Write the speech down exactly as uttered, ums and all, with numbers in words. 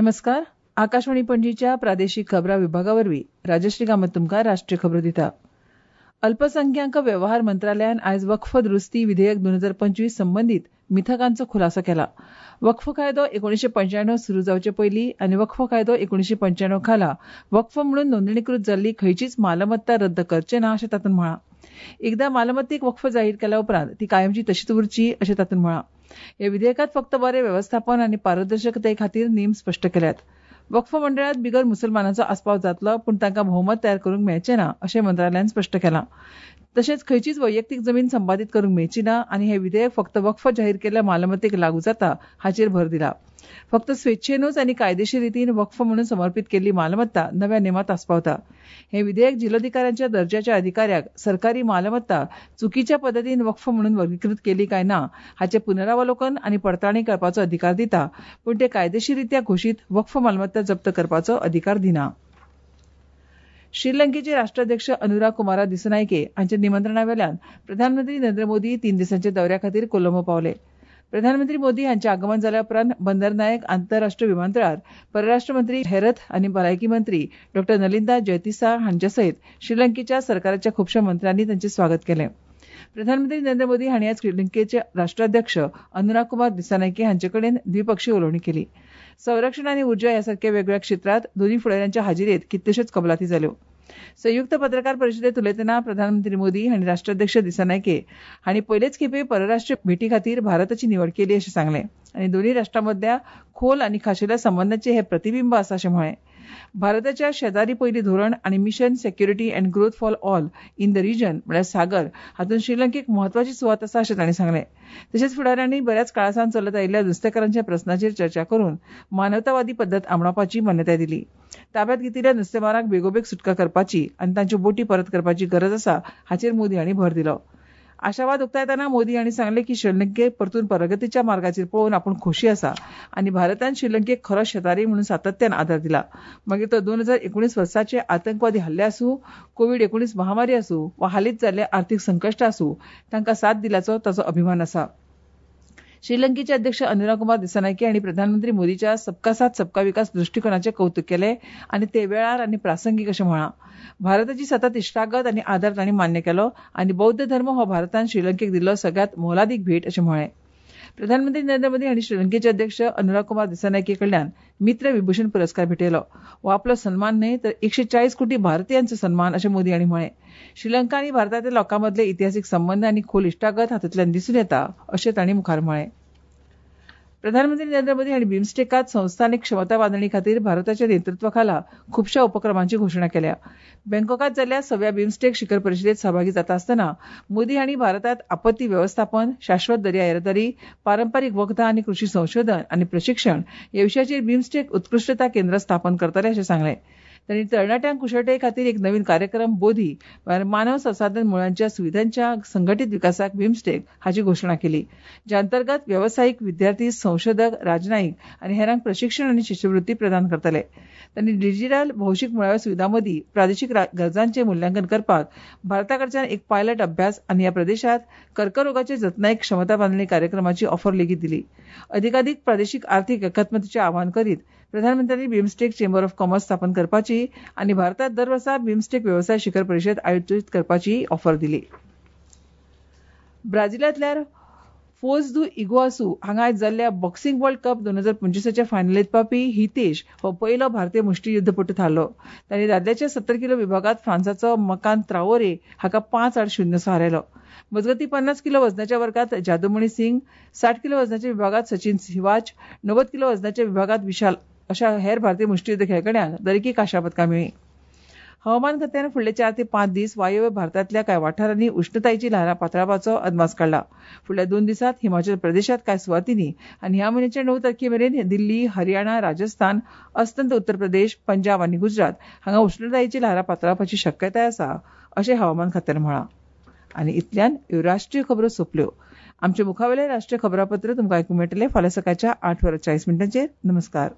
नमस्कार. आकाशवाणी पणजीच्या प्रादेशीक खबरां विभागा वरवीं राजश्री कामत तुमकां राष्ट्रीय खबरो दिता. अल्पसंख्याक वेव्हार मंत्रालयान आयज वक्फ दुरुस्ती विधेयक दोन हजार पंचवीस संबंदीत मिथकांचो खुलासो केला. वक्फ कायदो एकोणीशे पंच्याण्णव सुरू जावचे पयलीं आनी वक्फ कायदो एकोणीशे पंच्याण्णव खाला वक्फ म्हणून नोंदणीकृत जाल्ली खंयचीच मालमत्ता रद्द करचे ना अशें तातूंत म्हळां. एकदां मालमत्तेक वक्फ जाहीर केल्या उपरांत ती कायमची तशीच उरची अशें तातूंत म्हळां. ह्या विधेयकांत फक्त बरें वेवस्थापन आनी पारदर्शकते खातीर नेम स्पश्ट केल्यात. वक्फ मंडळांत बिगर मुसलमानांचो आस्पाव जातलो, पूण तांकां भोवमत तयार करूंक मेळचें ना अशें मंत्रालयान स्पश्ट केलां. तशेंच खंयचीच वैयक्तीक जमीन संपादीत करूंक मेळची ना आनी हें विधेयक फक्त वक्फ जाहीर केल्ल्या मालमत्तेक लागू जाता हाचेर भर दिला. फक्त स्वेच्छेनूच आनी कायदेशीर रितीन वक्फ म्हणून समर्पीत केल्ली मालमत्ता नव्या नेमांत आस्पावता. हें विधेयक जिल्लोधिकाऱ्यांच्या दर्जाच्या अधिकाऱ्याक सरकारी मालमत्ता चुकीच्या पद्दतीन वक्फ म्हणून वर्गीकृत केली काय ना हाचें पुनरावलोकन आनी पडताळणी करपाचो अधिकार दिता, पूण ते कायदेशीररित्या घोशीत वक्फ मालमत्ता जप्त करपाचो अधिकार दिना. श्रीलंकेचे राष्ट्राध्यक्ष अनुरा कुमारा दिसनायके हांच्या निमंत्रणा वेल्यान प्रधानमंत्री नरेंद्र मोदी तीन दिसांच्या दौऱ्या खातीर कोलंबो पावले. प्रधानमंत्री मोदी हांचे आगमन जाल्या उपरांत बंदरनायक आंतरराष्ट्रीय विमानतळार परराष्ट्र मंत्री हेरथ आनी भलायकी मंत्री डॉ नलिंदा जयतिसा हांचे सयत श्रीलंकेच्या सरकाराच्या खुबश्या मंत्र्यांनी तांचें स्वागत केलें. प्रधानमंत्री नरेंद्र मोदी हांणी आज श्रीलंकेचे राष्ट्राध्यक्ष अनुरा कुमार दिसानायके हांचे कडेन द्विपक्षीय उलोवणी केली. संरक्षण आनी उर्जा ह्या सारक्या वेगवेगळ्या क्षेत्रांत दोनूय फुडाऱ्यांच्या हाजिरेंत कितल्योश्योच कबलाती जाल्यो. संयुक्त पत्रकार परिशदेंत उलयतना प्रधानमंत्री मोदी हांणी राष्ट्राध्यक्ष दिसानायके हांणी पयलेच खेपे परराष्ट्रीय भेटी खातीर भारताची निवड केली अशें सांगलें आनी दोनूय राष्ट्रां मदल्या खोल आनी खाशेल्या संबंदांचें हें प्रतिबिंब आसा अशें म्हळें. भारताच्या शेजारी पयली धोरण आनी mission security and growth for all in the region म्हळ्यार सागर हातूंत श्रीलंकेक म्हत्वाची सुवात आसा अशें तांणी सांगलें. तशेंच फुडाऱ्यांनी बऱ्याच काळा सावन चलत आयिल्ल्या नुस्तेकारांच्या प्रस्नाचेर चर्चा करून मानवतावादी पद्दत आपणावपाची मान्यताय दिली. ताब्यात घेतिल्ल्या नुस्तेमारांक बेगोबेग सुटका करपाची आनी तांच्यो बोटी परत करपाची गरज आसा हाचेर मोदी हांणी भर दिलो. आशावाद उक्तायतना मोदी हांणी सांगलें की श्रीलंकेक परतून प्रगतीच्या मार्गाचेर पळोवन आपूण खोशी आसा आनी भारतान श्रीलंकेक खरो शेजारी म्हणून सातत्यान आदार दिला. मागीर तो दोन हजार एकुणीस वर्साचे आतंकवादी हल्ले आसूं, कोवीड एकुणीस महामारी आसूं वा हालींच जाल्ले आर्थीक संकश्ट आसूं, तांकां साथ दिल्याचो ताचो अभिमान आसा. श्रीलंकेचे अध्यक्ष अनुरा कुमार दिसानायके हांणी प्रधानमंत्री मोदीच्या सबका साथ सबका विकास दृश्टीकोनाचें कौतुक केलें आनी ते वेळार आनी प्रासंगीक अशें म्हळां. भारताची सतत इश्टागत आनी आदार तांणी मान्य केलो आनी बौद्ध धर्म हो भारतान श्रीलंकेक दिल्लो सगळ्यांत मोलादीक भेट अशें म्हळें. प्रधानमंत्री नरेंद्र मोदी हांणी श्रीलंकेचे अध्यक्ष अनुरा कुमार दिसानायके कडल्यान मित्र विभूषण पुरस्कार भेटयलो. हो आपलो सन्मान न्हय तर एकशे चाळीस कोटी भारतीयांचो सन्मान अशें मोदी हांणी म्हळें. श्रीलंका आनी भारतांतल्या लोकां मदले इतिहासीक संबंद आनी खोल इश्टागत हातूंतल्यान दिसून येता अशें तांणी मुखार म्हळें. प्रधानमंत्री नरेंद्र मोदी हांणी बिमस्टेकांत संस्थानीक क्षमता बांदणी खातीर भारताच्या नेतृत्वा खाला खुबश्या उपक्रमांची घोशणा केल्या. बँकॉकांत जाल्ल्या सव्या बिमस्टेक शिखर परिशदेंत सहभागी जाता आसतना मोदी हांणी भारतांत आपत्ती वेवस्थापन, शाश्वत दर्या येरादारी, पारंपारीक वखदां आनी कृशी संशोधन आनी प्रशिक्षण ह्या विशयाचेर बिमस्टेक उत्कृश्टता केंद्र स्थापन करतले अशें सांगलें. तांणी तरणाट्यांक कुशळटाये खातीर एक नवीन कार्यक्रम बोधी म्हळ्यार मानव संसाधन मुळांच्या सुविधांच्या संघटीत विकासाक बिमस्टेक हाची घोशणा केली, ज्या अंतर्गत वेवसायीक, विद्यार्थी, संशोधक, राजनयिक आनी हेरांक प्रशिक्षण आनी शिश्यवृत्ती प्रदान करतले. तांणी डिजिटल भौशीक मुळाव्या सुविधां मदीं प्रादेशीक गरजांचें मुल्यांकन करपाक भारता कडच्यान एक पायलट अभ्यास आनी ह्या प्रदेशांत कर्करोगाचे जतनायक क्षमता बांदणी कार्यक्रमाची ऑफर लेगीत दिली. अधिकाधीक प्रादेशीक आर्थीक एकात्मतेचें आवाहन करीत प्रधानमंत्र्यांनी बिमस्टेक चेंबर ऑफ कॉमर्स स्थापन करपाची आनी भारतांत दर वर्सा बिमस्टेक वेवसाय शिखर परिशद आयोजीत करपाची ऑफर दिली. ब्राझिलांतल्या फोज दु इगुआसू हांगा आयज जाल्ल्या बॉक्सिंग वर्ल्ड कप दोन हजार पंचवीसाच्या फायनलींत पावपी हितेश हो पयलो भारतीय मुष्टीयुद्धपटू थारलो. ताणें दादल्याच्या सत्तर किलो विभागांत फ्रांसाचो मकान त्राओरे हाका पांच आड शून्य सो हारयलो. मजगतीं पन्नास किलो वजनाच्या वर्गात जादूमणी सिंग, साठ किलो वजनाच्या विभागांत सचिन सिवाच, णव्वद किलो वजनाच्या विभागांत विशाल अशा हेर भारतीय मुष्टीयुद्ध खेळगड्यांक दरेकी कांश्या पदकां मेळ्ळीं. हवामान खात्यान फुडले चार ते पांच दीस वायव्य भारतांतल्या कांय वाठारांनी उश्णतायेची ल्हारां पातळावपाचो अदमास काडला. फुडल्या दोन दिसांत हिमाचल प्रदेशांत कांय सुवातींनी आनी ह्या म्हयन्याच्या णव तारखे मेरेन दिल्ली, हरियाणा, राजस्थान, अस्तंत उत्तर प्रदेश, पंजाब आनी गुजरात हांगा उश्णतायेची ल्हारां पातळावपाची शक्यताय आसा अशें हवामान खात्यान म्हळां. आनी इतल्यान ह्यो राष्ट्रीय खबरो सोंपल्यो. आमचे मुखावेलें राष्ट्रीय खबरापत्र तुमकां आयकूंक मेळटलें फाल्यां सकाळच्या आठ वरां चाळीस मिनटांचेर. नमस्कार.